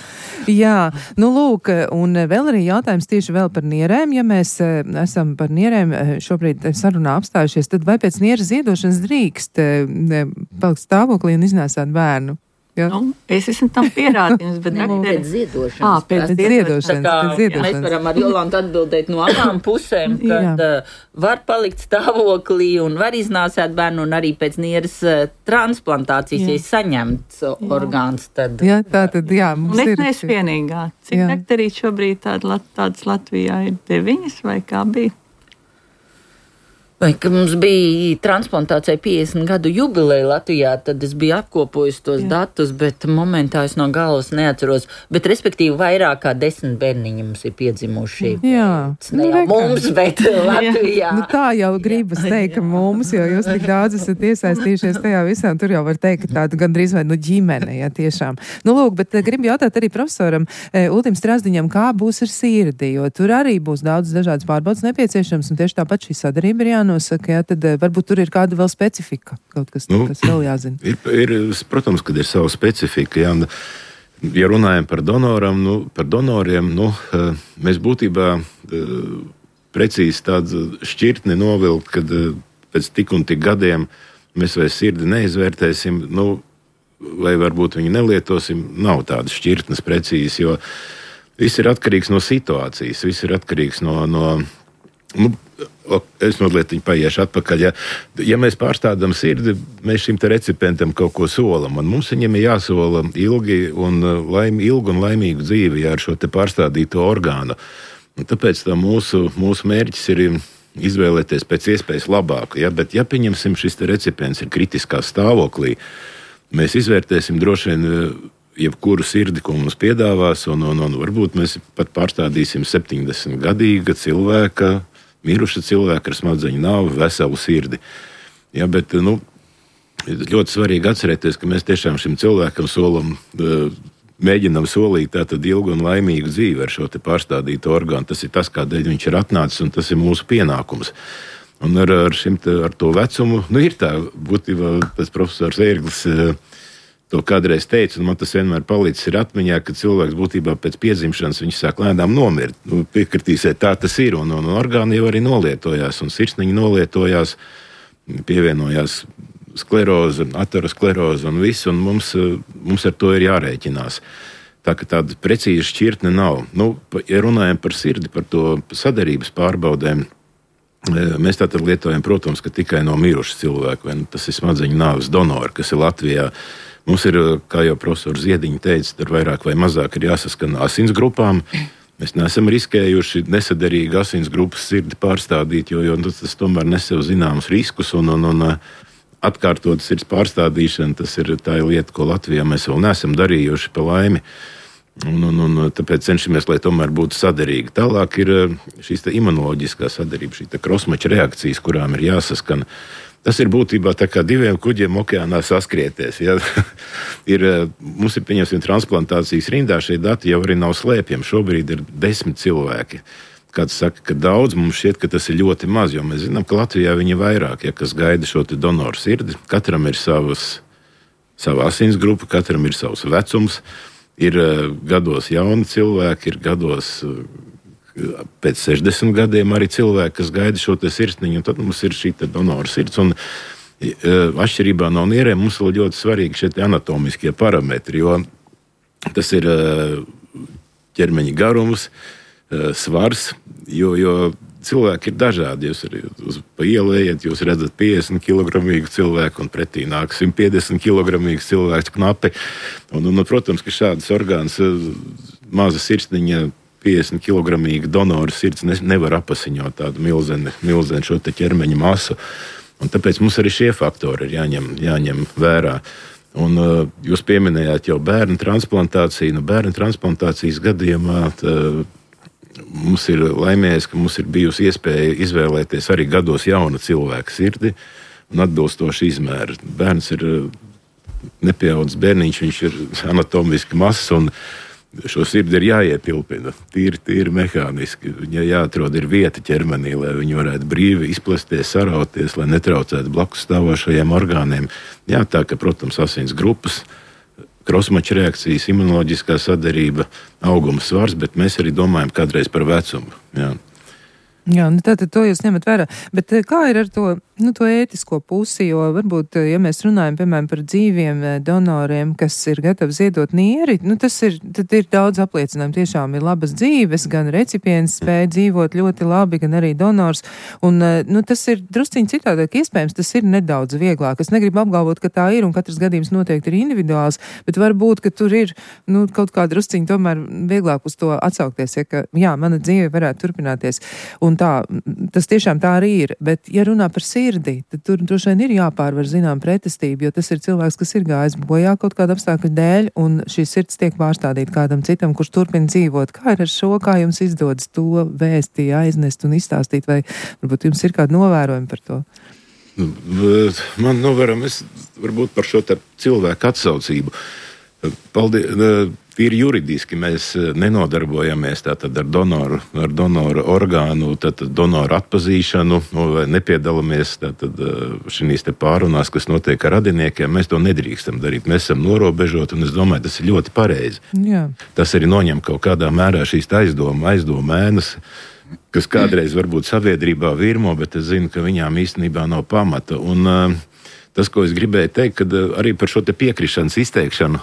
Jā, lūk, un vēl arī jautājums tieši vēl par nierēm. Ja mēs esam par nierēm šobrīd sarunā apstājušies, tad vai pēc nieres ziedošanas drīkst palikt stāvoklī un iznēsāt bērnu? Ja? Es esmu tam pierādījums, bet pēc ziedošanas. Pēc ziedošanas. Mēs varam ar Jolantu atbildēt no abām pusēm, kad var palikt stāvoklī un var iznāsāt bērnu, un arī pēc nieres transplantācijas, ja saņemts orgāns. Tad... Jā, tā tad, jā, mums ir. Neesmu vienīgā. Cik daktarīt šobrīd tādas Latvijā ir 9 vai kā bija? Vai, ka mums bija transplantācija 50 gadu jubileja Latvijā, tad es biju apkopojis tos datus, bet momentā es no galvas neatceros. Bet, respektīvi, vairāk kā 10 bērniņi mums ir piedzimuši. Jā. Ne jau mums, bet Latvijā. Tā jau gribas teikt, ka mums, jo jūs tik daudz esat iesaistījušies tajā visā, un tur jau var teikt, ka tāda gandrīz vai ģimene, ja tiešām. Lūk, bet gribu jautāt arī profesoram Ultim Strazdiņam, kā būs ar sirdi, jo tur arī būs daudz dažādas pārbaudas nepieciešams, un tieši tāpat šī sadarība ir jānosaka, tad varbūt tur ir kāda vēl specifika, kaut kas, kas vēl jāzina. Protams, kad ir sava specifika, jā, ja runājam par donoriem, mēs būtībā precīzi tādu šķirtni novilkt, kad pēc tik un tik gadiem mēs vai sirdi neizvērtēsim, vai varbūt viņu nelietosim, nav tādas šķirtnes precīzi, jo viss ir atkarīgs no situācijas, viss ir atkarīgs no es mazliet paiešu atpakaļ. Ja mēs pārstādām sirdi, mēs šim te recipientam kaut ko solam, un mums viņam ir jāsola ilgu un laimīgu dzīvi ar šo te pārstādīto orgānu. Un tāpēc mūsu mērķis ir izvēlēties pēc iespējas labāku. Bet ja pieņemsim, šis te recipients ir kritiskā stāvoklī, mēs izvērtēsim droši vien jebkuru sirdi, ko mums piedāvās, un varbūt mēs pat pārstādīsim 70-gadīga cilvēka, miruša cilvēka ar smadzeņu nāvi, veselu sirdi. Ja, bet ļoti svarīgi atcerēties, ka mēs tiešām šim cilvēkam mēģinām solīt tātad ilgu un laimīgu dzīvi ar šo te pārstādītu orgānu. Tas ir tas, kādēļ viņš ir atnācis, un tas ir mūsu pienākums. Un ar to vecumu, ir tā, būtībā tas profesors Ērglis to kādreiz teica, un man tas vienmēr palicis ir atmiņā, ka cilvēks būtībā pēc piedzimšanas viņš sāk lēnām nomirt. Piekritīsiet, tā tas ir, un orgāni jau arī nolietojās, un sirsniņi nolietojās, pievienojās skleroze, ateroskleroze un viss, un mums ar to ir jārēķinās. Tā ka tāda precīza šķirtne nav. Ja runājam par sirdi, par to sadarības pārbaudēm, mēs tātad lietojam, protams, ka tikai no miruša cilvēka, tas ir smadzeņu nāves donori, kas ir Latvijā. Mums ir, kā jau profesors Ziediņš teica, tur vairāk vai mazāk ir jāsaskan asins grupām. Mēs neesam riskējuši nesaderīgi asins grupas sirdi pārstādīt, jo tas tomēr nes sev zināmus riskus, un atkārtot sirds pārstādīšana, tā ir lieta, ko Latvijā mēs vēl neesam darījuši pa laimi. Un tāpēc cenšamies, lai tomēr būtu saderīgi. Tālāk ir šīs imunoloģiskā sadarība, šī krosmača reakcijas, kurām ir jāsaskan. Tas ir būtībā tā kā diviem kuģiem okeānā saskrieties. Ja? Mums ir, pieņemsim, transplantācijas rindā, šie dati jau arī nav slēpjami. Šobrīd ir 10 cilvēki. Kāds saka, ka daudz, mums šķiet, ka tas ir ļoti maz, jo mēs zinām, ka Latvijā viņi vairāk, kas gaida šo te donoru sirdi. Katram ir sava asins grupa, katram ir savs vecums. Ir gados jauni cilvēki, ir gados pēc 60 gadiem arī cilvēki, kas gaida šo te sirsniņu, un tad mums ir šī donora sirds. Un atšķirībā no nierēm mums vēl ļoti svarīgi šie anatomiskie parametri, jo tas ir ķermeņa garums, svars, jo cilvēki ir dažādi. Jūs arī pa ielu ejat, jūs redzat 50 kilogramīgu cilvēku un pretī nāk 150 kilogramīgu cilvēku knapi. Un, protams, ka šādas orgāns, maza sirsniņa, 50 kilogramīga donora sirds nevar apasiņot tādu milzeni šo te ķermeņa masu. Un tāpēc mums arī šie faktori ir jāņem vērā. Un jūs pieminējāt jau bērnu transplantāciju. Bērnu transplantācijas gadījumā mums ir laimējies, ka mums ir bijusi iespēja izvēlēties arī gados jauna cilvēka sirdi un atbilstoši izmēru. Bērns ir nepieaudzis bērniņš, viņš ir anatomiski mazs un šo sirdi ir jāiepilpina tīri mehāniski. Viņai jāatrod ir vieta ķermenī, lai viņi varētu brīvi izplesties, sarauties, lai netraucētu blakus stāvošajiem orgāniem. Jā, tā ka, protams, asins grupas, krosmača reakcijas, imunoloģiskā sadarība, auguma svars, bet mēs arī domājam kādreiz par vecumu. Jā, tātad to jūs ņemat vērā. Bet kā ir ar to ētisko pusi, jo varbūt, ja mēs runājam, piemēram, par dzīviem donoriem, kas ir gatavi ziedot nieri, tad ir daudz apliecinājumu. Tiešām ir labas dzīves, gan recipients spēja dzīvot ļoti labi, gan arī donors. Un, tas ir drusciņi citādāk iespējams, tas ir nedaudz vieglāk. Es negribu apgalvot, ka tā ir, un katrs gadījums noteikti ir individuāls, bet varbūt, ka tur ir, kaut kā drusciņi tomēr vieglāk uz to atsaukties, ja mana dzīve varētu turpināties. Un tā, tas tiešām tā arī ir. Bet, ja runā par sirdi, tad tur droši vien ir jāpārvar zinām pretestību, jo tas ir cilvēks, kas ir gājis bojā kaut kāda apstākļa dēļ, un šī sirds tiek pārstādīta kādam citam, kurš turpina dzīvot. Kā ir ar šo, kā jums izdodas to vēsti aiznest un izstāstīt, vai varbūt jums ir kādi novērojumi par to? Man novērojumi varbūt par šo cilvēku atsaucību. Paldies. Tīri juridiski mēs nenodarbojamies tātad ar donoru orgānu, donoru atpazīšanu, vai nepiedalāmies šīs pārunās, kas notiek ar radiniekiem. Mēs to nedrīkstam darīt. Mēs esam norobežoti, un es domāju, tas ir ļoti pareizi. Jā. Tas arī noņem kaut kādā mērā šīs aizdomu ēnas, kas kādreiz varbūt sabiedrībā virmo, bet es zinu, ka viņām īstenībā nav pamata. Un tas, ko es gribēju teikt, kad arī par šo piekrišanas izteikšanu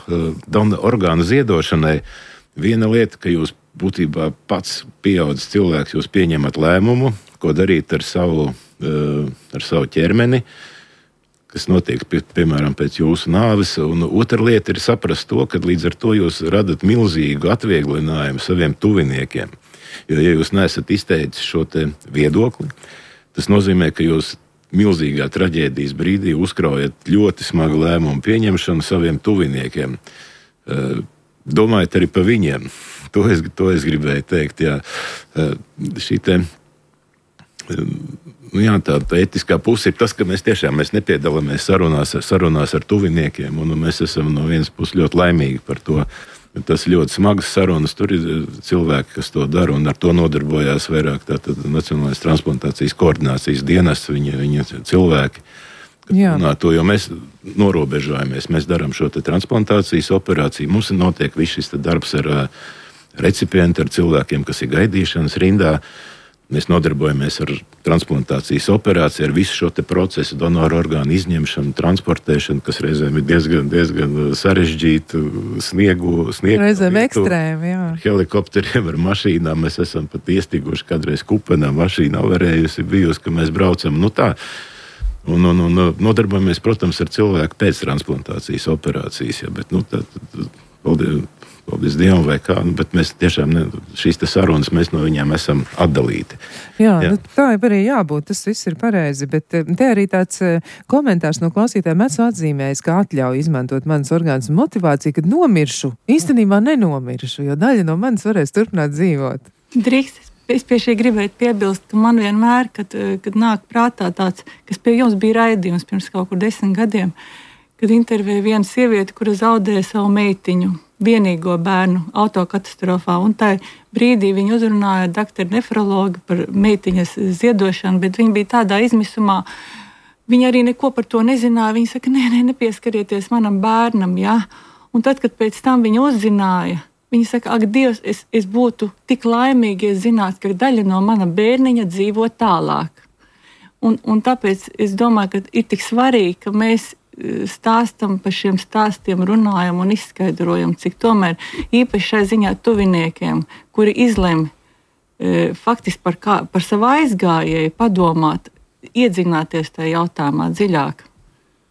orgānu ziedošanai, viena lieta, ka jūs būtībā pats pieaudzis cilvēks, jūs pieņemat lēmumu, ko darīt ar savu ķermeni, kas notiek, piemēram, pēc jūsu nāves. Un otra lieta ir saprast to, ka līdz ar to jūs radat milzīgu atvieglinājumu saviem tuviniekiem. Jo, ja jūs neesat izteicis šo viedokli, tas nozīmē, ka jūs milzīgā traģēdijas brīdī uzkraujat ļoti smagu lēmumu pieņemšanu saviem tuviniekiem. Domājiet arī par viņiem. To es gribēju teikt. Jā. Tā etiskā puse ir tas, ka mēs nepiedalāmies sarunās ar tuviniekiem, un mēs esam no vienas puses ļoti laimīgi par to. Tas ir ļoti smagas sarunas. Tur ir cilvēki, kas to dara, un ar to nodarbojās vairāk Nacionālais transplantācijas koordinācijas dienests, viņa cilvēki. To, jo mēs norobežojamies, mēs darām šo transplantācijas operāciju. Mums notiek viss šis darbs ar recipientu, ar cilvēkiem, kas ir gaidīšanas rindā. Mēs nodarbojamies ar transplantācijas operāciju, ar visu šo procesu, donoru orgānu izņemšanu, transportēšanu, kas reizēm ir diezgan sarežģīti, sniegu reizēm ekstrēmi, jā. Helikopteriem, ar mašīnām. Mēs esam pat iestiguši kādreiz Kupenā, mašīna avarējusi, bijusi, ka mēs braucam. Un nodarbojamies, protams, ar cilvēku pēc transplantācijas operācijas. Ja, bet, paldies Dievam vai kā, bet mēs tiešām šīs sarunas mēs no viņiem esam atdalīti. Jā. Tā arī jābūt, tas viss ir pareizi, bet te arī tāds komentārs no klausītājiem esmu atzīmējis, ka atļauj izmantot manas orgānus motivāciju, kad nomiršu, īstenībā nenomiršu, jo daļa no manis varēs turpināt dzīvot. Drīkst. Es pie šī gribētu piebilst, ka man vienmēr, kad nāk prātā tāds, kas pie jums bija raidījums pirms kaut kur 10 gadiem, kad intervēja viena sieviete, kura zaudēja savu meitiņu, vienīgo bērnu autokatastrofā, un tā brīdī viņa uzrunāja doktoru nefrologu par meitiņas ziedošanu, bet viņa bija tādā izmisumā, viņa arī neko par to nezināja, viņa saka, nepieskarieties manam bērnam, jā, un tad, kad pēc tam viņa uzzināja, Viņi saka, ak, Dievs, es būtu tik laimīgi, ja zinātu, ka daļa no mana bērniņa dzīvo tālāk. Un tāpēc es domāju, ka ir tik svarīgi, ka mēs stāstam par šiem stāstiem, runājam un izskaidrojam, cik tomēr īpaši šai ziņā tuviniekiem, kuri izlem faktiski par savu aizgājēju padomāt, iedzināties tajā jautājumā dziļāk.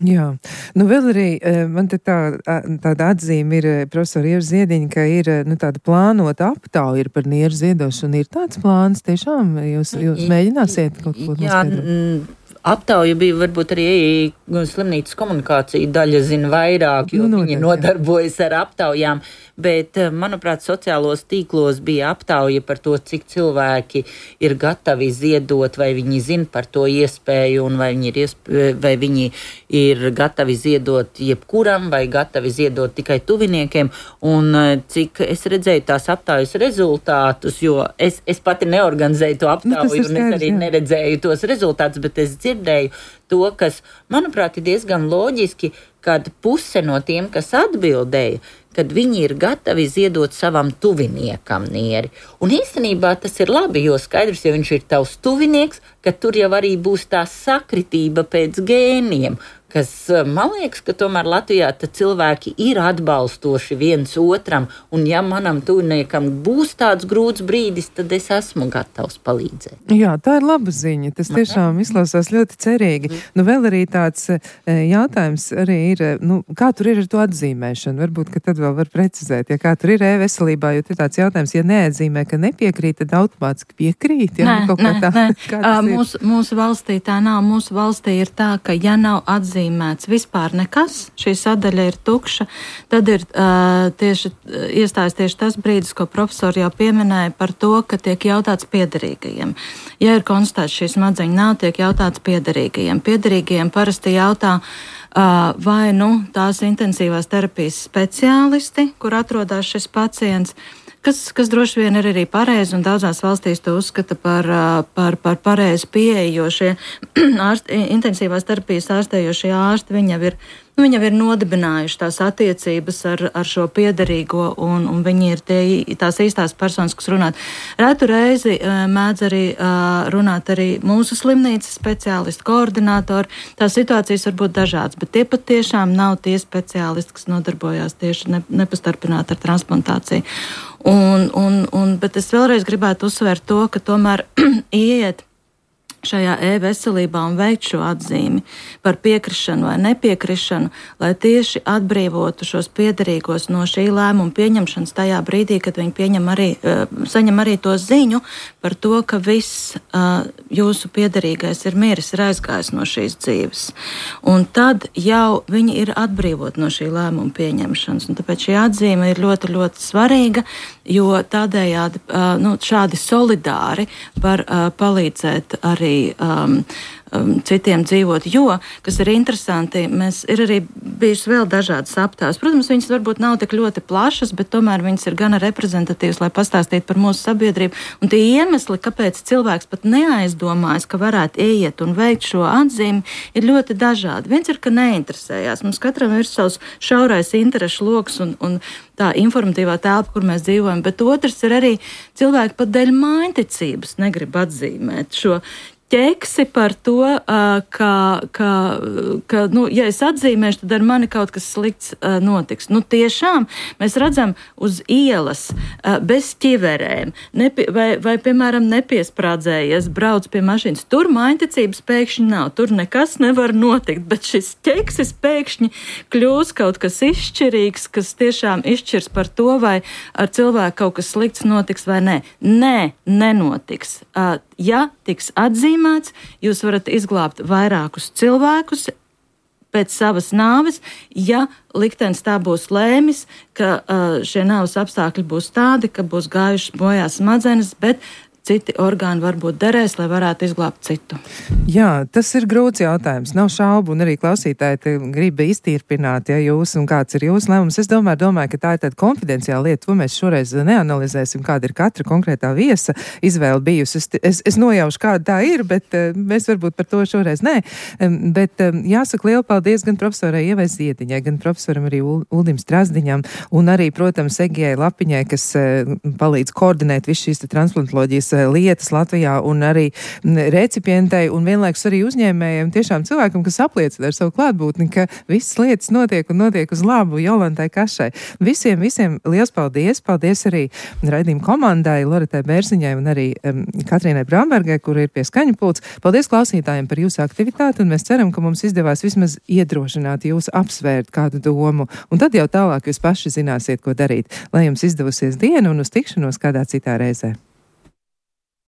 Jā, vēl arī man te tāda atzīme ir profesora Ieva Ziediņa, ka ir tāda plānota aptauja par nieru ziedošanu. Ir tāds plāns tiešām? Jūs mēģināsiet kaut ko noskaidrot? Aptauja bija varbūt arī slimnīcas komunikācija daļa zina vairāk, jo viņi nodarbojas ar aptaujām, bet, manuprāt, sociālos tīklos bija aptauja par to, cik cilvēki ir gatavi ziedot, vai viņi zina par to iespēju, un vai viņi ir gatavi ziedot jebkuram, vai gatavi ziedot tikai tuviniekiem, un cik es redzēju tās aptaujas rezultātus, jo es pati neorganizēju to aptauju, un es arī neredzēju tos rezultātus, bet es dzirdēju to, kas, manuprāt, ir diezgan loģiski, kad puse no tiem, kas atbildēja, kad viņi ir gatavi ziedot savam tuviniekam nieri. Un īstenībā tas ir labi, jo skaidrs, ja viņš ir tavs tuvinieks, ka tur jau arī būs tā sakritība pēc gēniem, kas, man liekas, ka tomēr Latvijā cilvēki ir atbalstoši viens otram, un ja manam tuviniekam būs tāds grūts brīdis, tad es esmu gatavs palīdzēt. Jā, tā ir laba ziņa, tas tiešām izklausās ļoti cerīgi. Vēl arī tāds jautājums arī ir, kā tur ir ar to atzīmēšanu? Varbūt, ka tad vēl var precizēt, ja kā tur ir e-veselībā, jo ir tāds jautājums, ja neatzīmē, ka nepiekrīt, tad automātiski piekrīt. Ja? Nē. Mūsu valstī tā nav. Mūsu valstī ir tā, ka ja nav atzīmēts vispār nekas, šī sadaļa ir tukša, tad ir iestājas tieši tas brīdis, ko profesori jau pieminēja par to, ka tiek jautāts piederīgajiem. Ja ir konstatēts šī smadzeņa nav, tiek jautāts piederīgajiem. Piederīgajiem parasti jautā, vai tās intensīvās terapijas speciālisti, kur atrodas šis pacients, kas droši vien ir arī pareizi, un daudzās valstīs to uzskata par pareizu pieeju, jo šie intensīvās terapijas ārstējošie ārsti, viņi jau ir nodibinājuši tās attiecības ar šo piederīgo, un viņi ir tās īstās personas, kas runāt. Retu reizi mēdz arī runāt arī mūsu slimnīcas speciālisti, koordinātori. Tās situācijas var būt dažādas, bet tie pat tiešām nav tie speciālisti, kas nodarbojās tieši nepastarpināti ar transplantāciju. Bet es vēlreiz gribētu uzsvērt to, ka tomēr ieiet šajā e-veselībā un veikt šo atzīmi par piekrišanu vai nepiekrišanu, lai tieši atbrīvotu šos piederīgos no šī lēmuma pieņemšanas tajā brīdī, kad viņi saņem arī to ziņu par to, ka viss jūsu piederīgais ir miris, ir aizgājis no šīs dzīves. Un tad jau viņi ir atbrīvot no šī lēmuma pieņemšanas. Un tāpēc šī atzīme ir ļoti, ļoti svarīga, jo tādējādi šādi solidāri var palīdzēt arī citiem dzīvot, jo, kas ir interesanti, ir arī bijušas vēl dažādas aptaujas. Protams, viņas varbūt nav tik ļoti plašas, bet tomēr viņas ir gana reprezentatīvas, lai pastāstītu par mūsu sabiedrību. Un tie iemesli, kāpēc cilvēks pat neaizdomājas, ka varētu ieiet un veikt šo atzīmi, ir ļoti dažādi. Viens ir, ka neinteresējās. Mums katram ir savs šaurais interešu loks un tā informatīvā telpa, kur mēs dzīvojam, bet otrs ir arī cilvēki pat dēļ mājticības negrib atzīmēt šo ķeksi par to, ka ja es atzīmēšu, tad ar mani kaut kas slikts notiks. Tiešām mēs redzam uz ielas bez ķiverēm, vai piemēram, nepiesprādzējies, brauc pie mašīnas. Tur mājticības pēkšņi nav, tur nekas nevar notikt, bet šis ķeksis pēkšņi kļūs kaut kas izšķirīgs, kas tiešām izšķirs par to, vai ar cilvēku kaut kas slikts notiks vai nē. Nē, nenotiks. Ja tiks atzīmēts, jūs varat izglābt vairākus cilvēkus pēc savas nāves, ja liktenis tā būs lēmis, ka šie nāves apstākļi būs tādi, ka būs gājušas bojā smadzenes, bet citi orgāni varbūt derēs, lai varētu izglābt citu. Jā, tas ir grūts jautājums. Nav šaubu, un arī klausītāji grib iztīrpināt, ja jūs un kāds ir jūsu lēmums. Es domāju, ka tā ir tāda konfidenciāla lieta. To mēs šoreiz neanalizēsim, kāda ir katra konkrētā viesa izvēle bijusi. Es nojaušu, kāda tā ir, bet mēs varbūt par to šoreiz nē. Bet jāsaka lielu paldies gan profesorai Ievai Ziediņai, gan profesoram arī Uldim Strazdiņam, un arī, protams, Egijai Lapiņai, kas palīdz koordinēt visu šīs transplantoloģijas lietas Latvijā, un arī recipientei un vienlaikus arī uzņēmējiem, tiešām cilvēkam, kas apliecina ar savu klātbūtni, ka visas lietas notiek uz labu Jolantai Kašai. Visiem liels paldies! Paldies arī raidījuma komandai, Loretai Bērziņai un arī Katrīnai Brambergai, kur ir pie skaņu pults. Paldies klausītājiem par jūsu aktivitāti, un mēs ceram, ka mums izdevās vismaz iedrošināt jūs apsvērt kādu domu, un tad jau tālāk jūs paši zināsiet, ko darīt. Lai jums izdevusies diena un uz tikšanos kādā citā reizē.